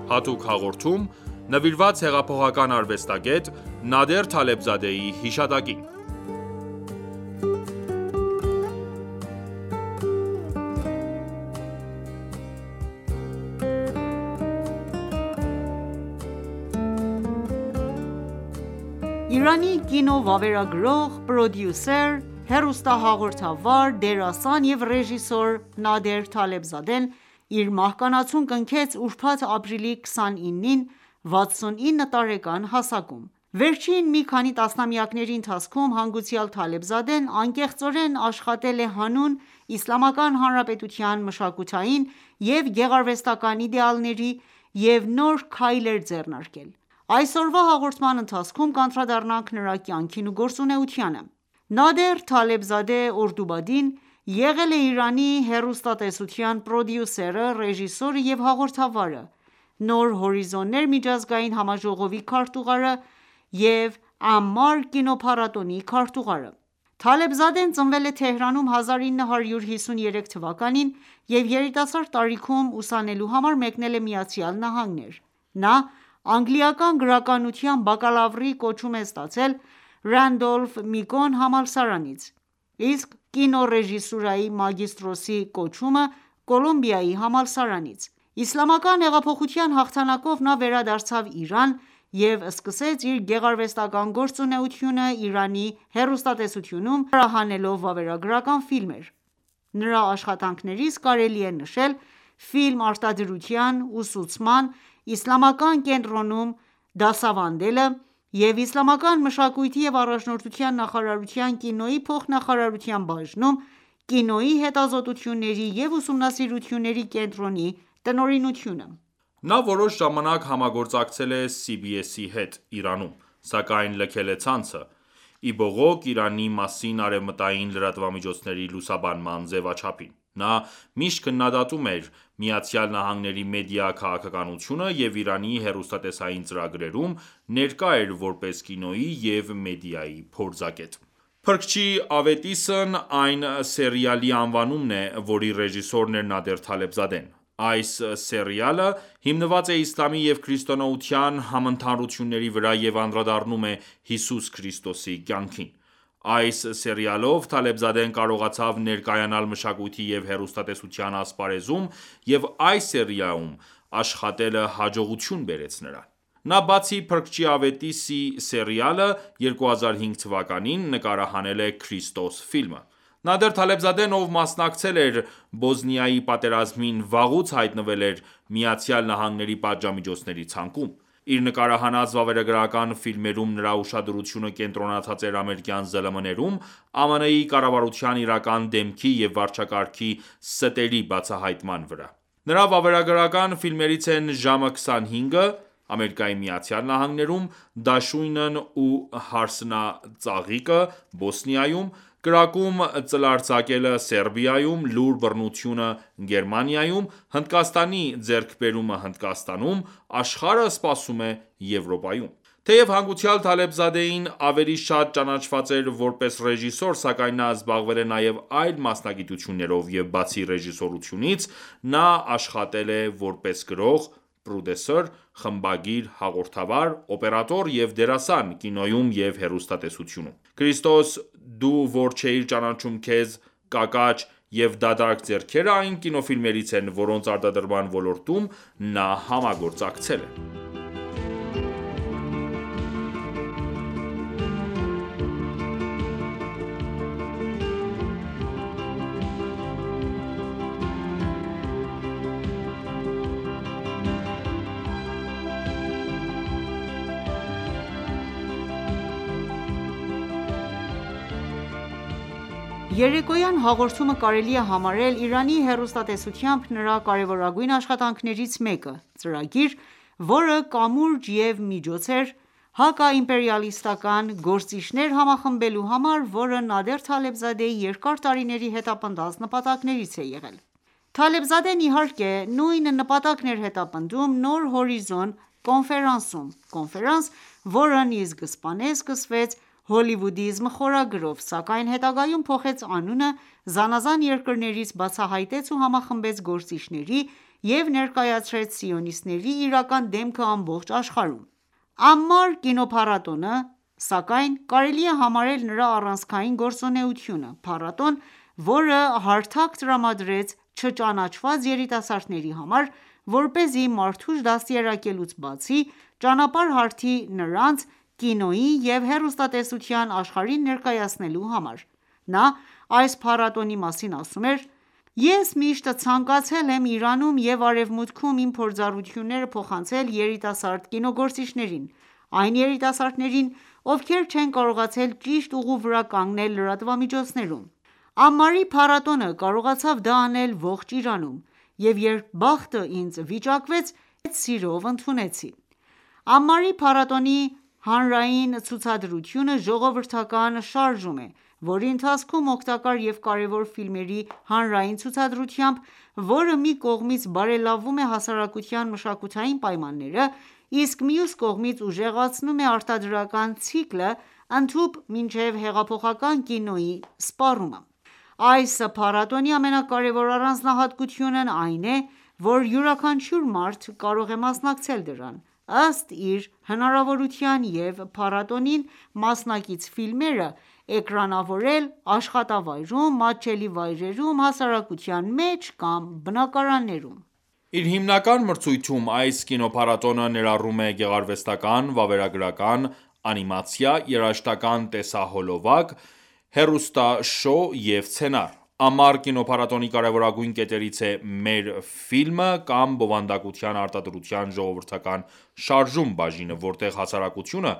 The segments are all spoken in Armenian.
հատուկ հաղորդում նվիրված հեղափոխական արվեստագետ Նադեր Թալեբզադեի հիշատակին։ Իրանի կինո-վավերագրող, պրոդյուսեր, հեռուստահաղորդավար, դերասան և ռեժիսոր Նադեր Թալեբզադեն իր մահկանացուն կնքեց ուրբաթ ապրիլի 29-ին 69 տարեկան հասակում։ Վերջին մի քանի տասնամյակների ընթացքում հանգուցյալ Թալեբզադեն անկեղծորեն աշխատել է հանուն Իսլամական Հանրապետության մշակութային և գեղարվեստական իդեալների և նոր քայլեր ձեռնարկել։ Այսօրվա հաղորդման ընթացքում կանդրադառնանք նրա կյանքին ու գործունեությանը։ Նադեր Թալեբզադե Օրդուբադին եղել է Իրանի հեռուստատեսության պրոդյուսերը, ռեժիսորը և հաղորդավարը, Նոր հորիզոններ միջազգային համաժողովի քարտուղարը և Ամմար կինոփառատոնի քարտուղարը։ Թալեբզադեն ծնվել է Թեհրանում 1953 թվականին և երիտասարդ տարիքում ուսանելու համար մեկնել է ԱՄՆ: Նա անգլիական գրականության բակալավրի կոչում է ստացել Ռանդոլֆ Միկոն համալսարանից, իսկ կինոռեժիսուրայի մագիստրոսի կոչումը Կոլումբիայի համալսարանից։ Իսլամական հեղափոխության հաղթանակով նա վերադարձավ Իրան և սկսեց իր գեղարվեստական գործունեությունը Իրանի հեռուստատեսությունում, նկարահանելով վավերագրական ֆիլմեր։ Նրա աշխատանքներից կարելի է նշել ֆիլմ արտադրության, ուսուցման, Իսլամական կենտրոնում դասավանդելը և Իսլամական մշակույթի և առաջնորդության նախարարության կինոյի փոխնախարարության բաժնում կինոյի հետազոտությունների և ուսումնասիրությունների կենտրոնի տնօրինությունը։ Նա որոշ ժամանակ համագործակցել է CBS-ի հետ Իրանում, սակայն լքել է ցանցը, ի բողոք Իրանի մասին արևմտային լրատվամիջոցների լուսաբանման ձևաչափին։ Նա միշտ քննադատում էր ԱՄՆ-ի մեդիա քաղաքականությունը և Իրանի հեռուստատեսային ծրագրերում ներկա էր որպես կինոյի և մեդիայի փորձագետ։ Փրկչի ավետիսն այն սերիալի անվանումն է, որի ռեժիսորն էր Նադեր Թալեբզադեն։ Այս սերիալը հիմնված է իսլամի և քրիստոնեության համընդհանուրությունների վրա և անդրադառնում է Հիսուս Քրիստոսի կյանքին։ Այս սերիալով Թալեբզադեն կարողացավ ներկայանալ մշակույթի և հեռուստատեսության ասպարեզում և այս սերիալում աշխատելը հաջողություն բերեց նրան։ Նա բացի Փրկչի ավետիսի սերիալը, 2005 թվականին նկարահանել է «Քրիստոս» ֆիլմը։ Նադեր Թալեբզադեն, ով մասնակցել էր Բոսնիայի պատերազմին, վաղուց հայտնվել էր ԱՄՆ-ի պատժամիջոցների ցանկում։ Իր նկարահանած վավերագրական ֆիլմերում նրա ուշադրությունը կենտրոնացած էր ամերիկյան ԶԼՄ-ներում ԱՄՆ-ի կառավարության իրական դեմքի և վարչակարգի ստերի բացահայտման վրա։ Նրա վավերագրական ֆիլմերից են «Ժամը 25»-ը ԱՄՆ-ում, «Դաշույնն ու հարսնածաղիկը» Բոսնիայում, «Կրակում ծլարձակելը» Սերբիայում, «Լուր բռնությունը» Գերմանիայում, «Հնդկաստանի ձեռքբերումը» Հնդկաստանում, «Աշխարհը սպասում է» Եվրոպայում։ Թեև հանգուցյալ Թալեբզադեին ավելի շատ ճանաչված էր որպես ռեժիսոր, սակայն նա զբաղվել է նաև այլ մասնագիտություններով և բացի ռեժիսորությունից, նա աշխատել է որպես գրող, պրոդյուսեր, խմբագիր, հաղորդավար, օպերատոր և դերասան կինոյում և հեռուստատեսությունում։ «Քրիստոս, դու որ չէիր ճանաչում քեզ», «Կակաչ» և «Դատարկ ձեռքերը» այն կինոֆիլմերից են, որոնց արտադրման ոլորտում նա համագործակցել է։ Երեկոյան հաղորդումը կարելի է համարել Իրանի հեռուստատեսությամբ նրա կարևորագույն աշխատանքներից մեկը՝ ծրագիր, որը կամուրջ և միջոց էր հակաիմպերիալիստական գործիչներ համախմբելու համար, որը Նադեր Թալեբզադեի երկար տարիների հետապնդած նպատակներից է եղել։ Թալեբզադեն, իհարկե, նույն նպատակն էր հետապնդում Նոր հորիզոն կոնֆերանսում, որն ի սկզբանե սկսվեց հոլիվուդիզմ խորագրով, սակայն հետագայում փոխեց անունը, զանազան երկրներից բացահայտեց ու համախմբեց գործիչների և ներկայացրեց սիոնիստների իրական դեմքը ամբողջ աշխարհում: Ամմար կինոփառատոնը, սակայն, կարելի է համարել նրա առանցքային գործունեությունը: Փառատոն, որը հարթակ տրամադրեց չճանաչված երիտասարդների համար, որպեսզի մարդուժ դաստիարակելուց բացի, ճանապարհ հարթի նրանց կինոյի և հեռուստատեսության աշխարհին ներկայացնելու համար: Նա այս փառատոնի մասին ասում էր.«Ես միշտ ցանկացել եմ Իրանում և Արևմուտքում իմ փորձառությունները փոխանցել երիտասարդ կինոգործիչներին: Այն երիտասարդներին, ովքեր չեն կարողացել ճիշտ ուղու վրա կանգնել լրատվամիջոցներում: Ամմարի փառատոնը կարողացավ դա անել ողջ Իրանում, և երբ բախտը ինձ վիճակվեց, մեծ սիրով ընդունեցի»: Ամմարի փառատոնի հանրային ցուցադրությունը ժողովրդական շարժում է, որի ընթացքում օգտակար և կարևոր ֆիլմերի հանրային ցուցադրությամբ, որը մի կողմից բարելավում է հասարակության մշակութային պայմանները, իսկ մյուս կողմից ուժեղացնում է արտադրական ցիկլը, ընդհուպ մինչև հեղափոխական կինոյի սպառումը: Այս փառատոնի ամենակարևոր առանձնահատկությունն այն է, որ յուրաքանչյուր մարդ կարող է մասնակցել դրան, ըստ իր հնարավորության և փառատոնին մասնակից ֆիլմերը էկրանավորել աշխատավայրում, մատչելի վայրերում, հասարակության մեջ կամ բնակարաններում: Իր հիմնական մրցույթում այս կինոփառատոնը ներառում է գեղարվեստական, վավերագրական, անիմացիա, երաժշտական տեսահոլովակ, հեռուստաշոու և սցենար: Ամմար կինոփառատոնի կարևորագույն կետերից է «Մեր ֆիլմը» կամ բովանդակության արտադրության ժողովրդական շարժում բաժինը, որտեղ հասարակությունը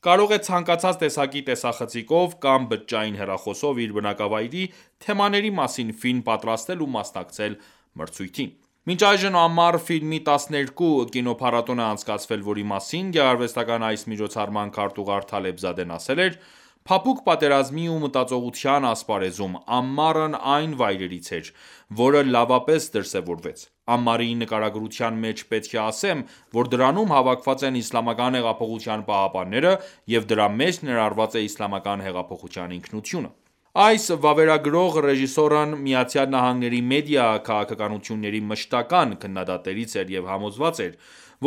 կարող է ցանկացած տեսակի տեսախցիկով կամ բջջային հեռախոսով իր բնակավայրի թեմաների մասին ֆիլմ պատրաստել ու մասնակցել մրցույթին: Մինչ այժմ Ամմար ֆիլմի 12 կինոփառատոն է անցկացվել, որի մասին գեղարվեստական այս միջոցառման քարտուղար Թալեբզադեն ասել էր.«Փափուկ պատերազմի ու մտածողության ասպարեզում, Ամմարն այն վայրերից էր, որը լավապես դրսևորվեց: Ամմարի նկարագրության մեջ պետք է ասեմ, որ դրանում հավաքված են Իսլամական հեղափոխության պահապանները և դրա մեջ ներառված է Իսլամական հեղափոխության ինքնությունը»: Այս վավերագրող ռեժիսորն ԱՄՆ-ի մեդիա քաղաքականությունների մշտական քննադատներից էր և համոզված էր,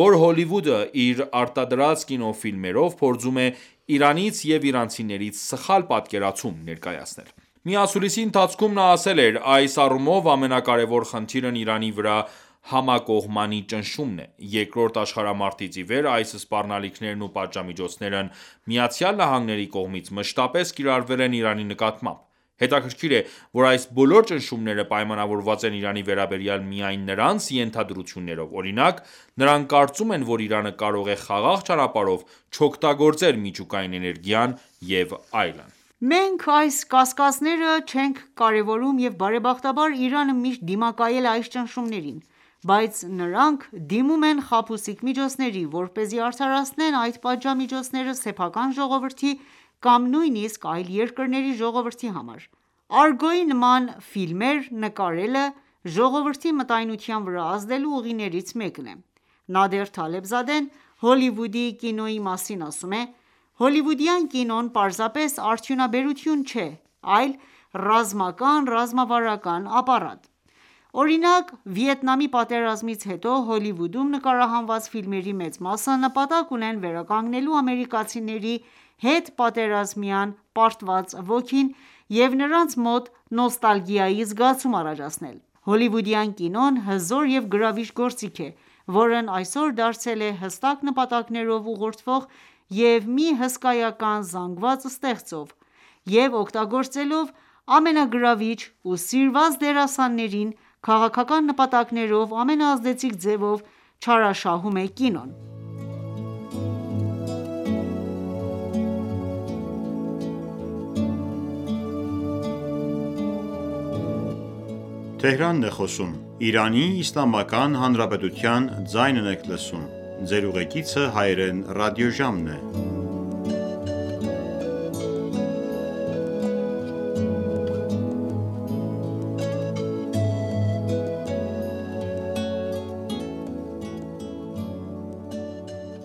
որ Հոլիվուդը իր արտադրած կինոֆիլմերով փորձում է Իրանից և իրանցիներից սխալ պատկերացում ներկայացնել: Մի ասուլիսի ընթացքում նա ասել էր.«Այս առումով ամենակարևոր խնդիրն Իրանի վրա համակողմանի ճնշումն է: Երկրորդ աշխարհամարտից ի վեր այս սպառնալիքներն ու պատժամիջոցներն ԱՄՆ-ի կողմից մշտապես կիրառվել են Իրանի նկատմամբ: Հետաքրքիր է, որ այս բոլոր ճնշումները պայմանավորված են Իրանի վերաբերյալ միայն նրանց ենթադրություններով: Օրինակ, նրանք կարծում են, որ Իրանը կարող է խաղաղ ճանապարհով չօգտագործել միջուկային էներգիան և այլն»: Մենք այս կասկածները չենք կարևորում և բարեբախտաբար Իրանը միշտ դիմակայել է այս ճնշումներին: Բայց նրանք դիմում են խաբուսիկ միջոցների, որպեսզի արդարացնեն այդ պատժամիջոցները սեփական ժողովրդի կամ նույնիսկ այլ երկրների ժողովրդի համար: «Արգո»-ի նման ֆիլմեր նկարելը ժողովրդի մտայնության վրա ազդելու ուղիներից մեկն է: Նադեր Թալեբզադեն Հոլիվուդի կինոյի մասին ասում է.«Հոլիվուդյան կինոն պարզապես արդյունաբերություն չէ, այլ ռազմական-ռազմավարական ապարատ: Օրինակ, Վիետնամի պատերազմից հետո Հոլիվուդում նկարահանված ֆիլմերի մեծ մասը նպատակ ունեն վերականգնելու ամերիկացիների հետպատերազմյան պարտված ոգին և նրանց մոտ նոստալգիայի զգացում առաջացնել: Հոլիվուդյան կինոն հզոր և գրավիչ գործիք է, որն այսօր դարձել է հստակ նպատակներով ուղղորդվող և մի հսկայական զանգված ստեղծող և օգտագործելով ամենագրավիչ ու սիրված դերասաններին քաղաքական նպատակներով ամենաազդեցիկ ձևով չարաշահում է կինոն»: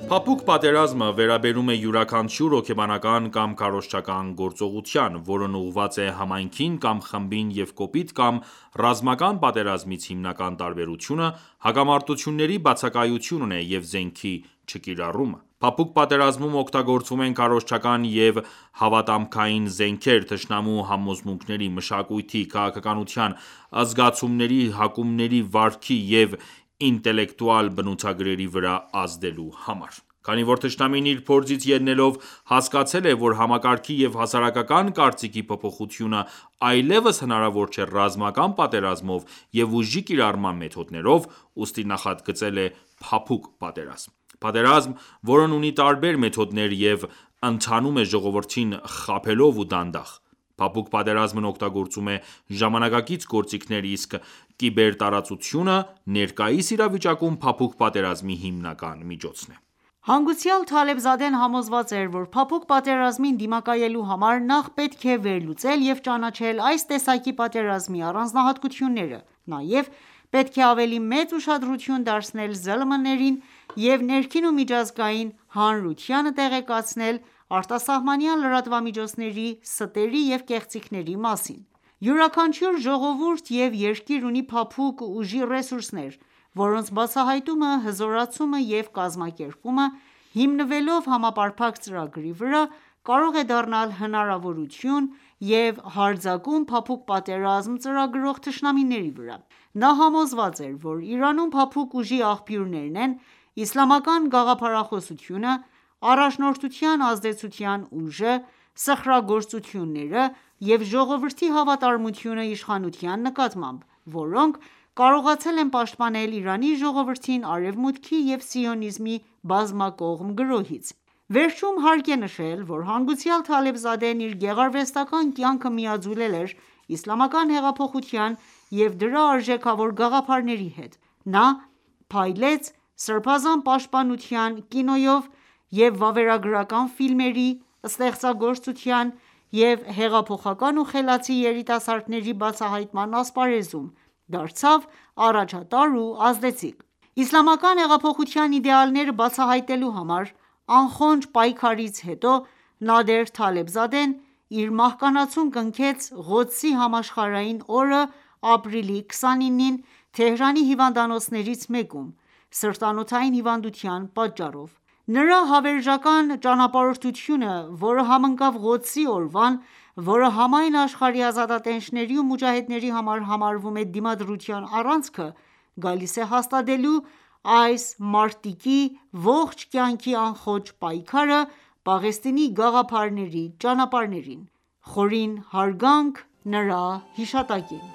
Փափուկ պատերազմը վերաբերում է յուրաքանչյուր հոգեբանական կամ քարոզչական գործողության, որն ուղղված է համայնքին կամ խմբին և կոպիտ կամ ռազմական պատերազմից հիմնական տարբերությունը հակամարտությունների բացակայությունն է և զենքի չկիրառումը: Փափուկ պատերազմում օգտագործվում են քարոզչական և հավատամքային զենքեր՝ թշնամու համոզմունքների, մշակույթի, քաղաքականության, զգացումների, հակումների վարքի և ինտելեկտուալ բնութագրերի վրա ազդելու համար: Քանի որ թշնամին իր փորձից ելնելով հասկացել է, որ համակարգի և հասարակական կարծիքի փոփոխությունը այլևս հնարավոր չէ ռազմական պատերազմով և ուժի կիրառման մեթոդներով, ուստի նախագծել է փափուկ պատերազմ: Պատերազմ, որն ունի տարբեր մեթոդներ և ընթանում է ժողովրդին խաբելով ու դանդաղ: Փափուկ պատերազմն օգտագործում է ժամանակակից գործիքներ, իսկ կիբերտարածությունը ներկայիս իրավիճակում փափուկ պատերազմի հիմնական միջոցն է: Հանգուցյալ Թալեբզադեն համոզված էր, որ փափուկ պատերազմին դիմակայելու համար նախ պետք է վերլուծել և ճանաչել այս տեսակի պատերազմի առանձնահատկությունները: Նաև պետք է ավելի մեծ ուշադրություն դարձնել ԶԼՄ-ներին և ներքին ու միջազգային հանրությանը տեղեկացնել արտասահմանյան լրատվամիջոցների ստերի և կեղծիքների մասին: Յուրաքանչյուր ժողովուրդ և երկիր ունի փափուկ ուժի ռեսուրսներ, որոնց բացահայտումը, հզորացումը և կազմակերպումը, հիմնվելով համապարփակ ծրագրի վրա, կարող է դառնալ հնարավորություն և հարձակում փափուկ պատերազմ ծրագրող թշնամիների վրա: Նա համոզված էր, որ Իրանում փափուկ ուժի աղբյուրներն են իսլամական գաղափարախոսությունը, առաջնորդության ազդեցության ուժը, սխրագործությունները և ժողովրդի հավատարմությունը իշխանության նկատմամբ, որոնք կարողացել են պաշտպանել Իրանի ժողովրդին Արևմուտքի և սիոնիզմի բազմակողմ գրոհից: Վերջում հարկ է նշել, որ հանգուցյալ Թալեբզադեն իր գեղարվեստական կյանքը միաձուլել էր իսլամական հեղափոխության և դրա արժեքավոր գաղափարների հետ: Նա փայլեց սրբազան պաշտպանության կինոյով և վավերագրական ֆիլմերի ստեղծագործության և հեղափոխական ու խելացի երիտասարդների բացահայտման ասպարեզում դարձավ առաջատար ու ազդեցիկ: Իսլամական հեղափոխության իդեալները բացահայտելու համար անխոնջ պայքարից հետո Նադեր Թալեբզադեն իր մահկանացուն կնքեց Ղոդսի համաշխարհային օրը ապրիլի 29-ին Թեհրանի հիվանդանոցներից մեկում սրտանոթային հիվանդության պատճառով: Նրա հավերժական ճանապարհորդությունը, որը համընկավ Ղոդսի օրվան, որը համայն աշխարհի ազատատենչների ու մուջահեդների համար համարվում է դիմադրության առանցքը, գալիս է հաստատելու այս մարտիկի ողջ կյանքի անխոջ պայքարը Պաղեստինի գաղափարների ճանապարհներին: Խորին հարգանք նրա հիշատակին: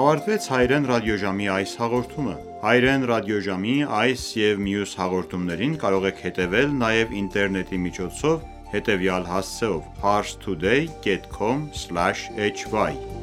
Ավարտվեց Հայրեն ռադիոժամի այս հաղորդումը: Հայրեն ռադիոժամի այս և մյուս հաղորդումներին կարող եք հետևել նաև ինտերնետի միջոցով հետևյալ հասցեով՝ parstoday.com/hy